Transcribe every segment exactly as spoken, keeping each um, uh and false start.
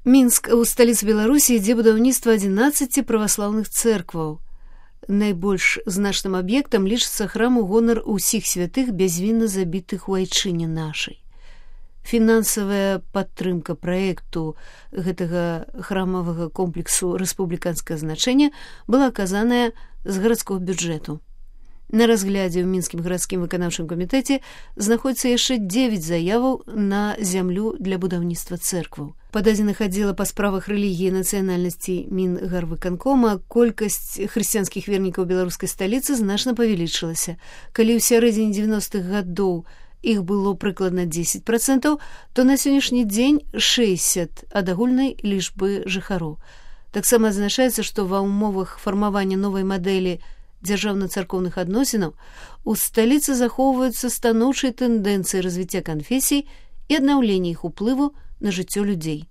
Мінск у сталіцы Беларусі ідзе будаўніцтва адзінаццаці праваслаўных цэркваў. Найбольш значным аб'ектам лічыцца храм у гонар усіх святых бязвінна забітых у айчыне нашай. Фінансавая падтрымка праекту гэтага храмавага комплексу рэспубліканскага значэння была аказаная з гарадскога бюджэту. На разглядзе ў мінскім гарадскім выканаўчым камітэце знаходзіцца яшчэ дзевяць заяваў на зямлю для будаўніцтва цэркваў. Па дадзеных аддзела па справах рэлігіі і нацыянальнасці Мінгарвыканкома колькасць хрысціянскіх вернікаў беларускай сталіцы значна павялічылася. Калі ў сярэдзіне дзевяностых гадоў іх было прыкладна дзесяць працэнтаў, то на сённяшні дзень шэсцьдзесят ад агульнай лічбы жыхароў. Таксама адзначаецца, што ва ўмовах фармавання новай мадэлі дзяржаўна-царкоўных адносінаў у сталіцы захоўваюцца станоўчыя тэндэнцыі развіцця канфесій і аднаўлення іх уплыву на жыццё людзей.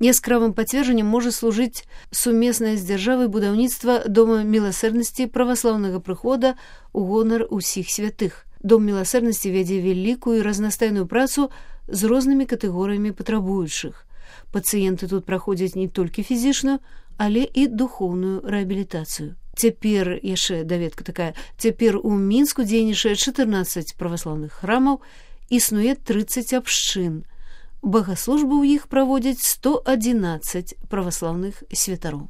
Яскравым пацверджаннем можа служыць сумеснае з дзяржавай будаўніцтва дома міласэрнасці праваслаўнага прыхода у гонар усіх святых. Дом міласэрнасці вядзе вялікую і разнастайную працу з рознымі катэгорыямі патрабуючых. Пацыенты тут праходзяць не толькі фізічную, але і духоўную рэабілітацыю. Цяпер, яшчэ даведка такая, цяпер у Мінску дзейнічае чатырнаццаць праваслаўных храмаў, існуе трыццаць абшчын. Багаслужбы ў іх праводзяць сто адзінаццаць праваслаўных святароў.